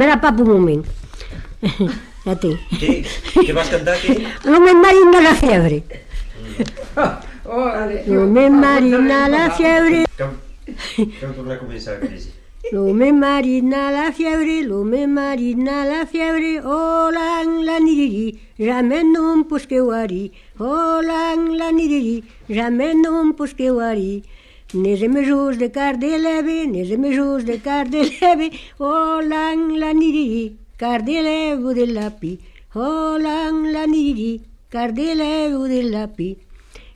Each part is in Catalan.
Mira, papa, un moment. Ja té. Què vas cantar, què? No me marina la fiebre. No me marina la fiebre. Cal tornar a començar, Cris. No me marina la fiebre, no me marina la fiebre, holang la niriri, jamais non posqueuari, holang la niriri, jamais non posqueuari. Nes emejos de car de leve, nes emejos de car de leve, holang la niriri, car de levo del lapi, holang la niriri, car de levo del lapi.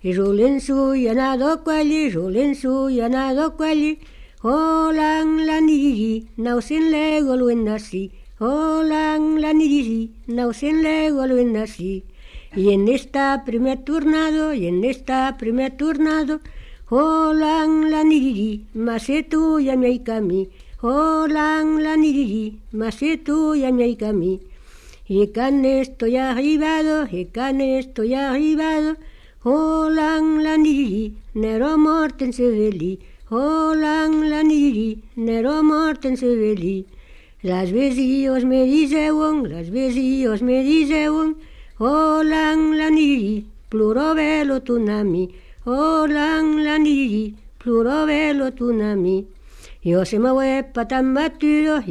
E jolensu y anado quali, jolensu y anado quali, holang la niriri, nausen lego luen nasi, holang la niriri, nausen lego luen nasi. Y en esta primer turnado, holang la niriri, mase tu ya mi kami, holang la niriri, mase tu ya mi kami. Y can estoy arribado, holang la niriri, nero morten se veli, holang la niriri, nero morten se veli. Las vecillos me diceuen, holang la niriri, pluro velo tunami, holang la niriri, pluro velo tunami. Yo se me huepa tan batido,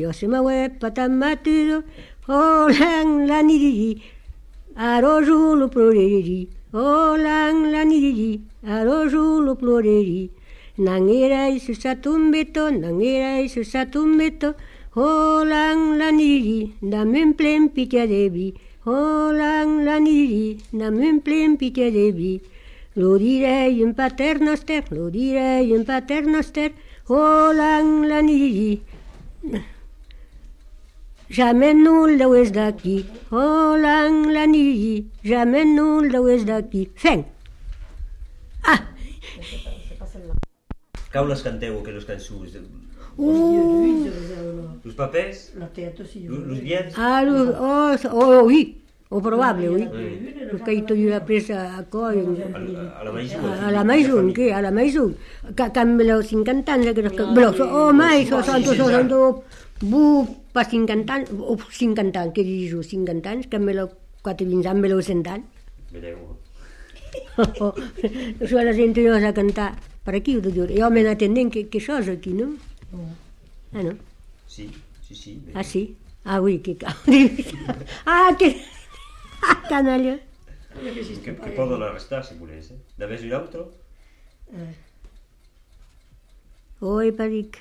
holang la niriri, arojulo ploreri, holang la niriri, arojulo ploreri. Nangirai susatumbeto, holang la niriri, damen plen pitia debi, holang la niriri, damen plen pitia debi. Lo direi in paternoster, holang la niriri. Jamais nul de oest d'aquí, holang la niriri, jamais nul de oest d'aquí. Fem! Ah! Cau les canteu, que los cançons? Los papers? Los biens? Oui, o probable, oui. Los que hi ha presa a coi. A la maison, què? A la maison. Can me los 50 anys, mai, pas 50 anys, o 50 anys, què dius, 50 anys, que me lo 4 anys, me lo 100 anys. Vedeu. Això la gent no a cantar per aquí, jo me n'atendent que això és aquí, no? Ah, no? Sí. Ah, sí? Ah, oui, que cal. Ah, que... canalla. Que poden arrestar, si volés, eh? De vez un altre? Oi, paric.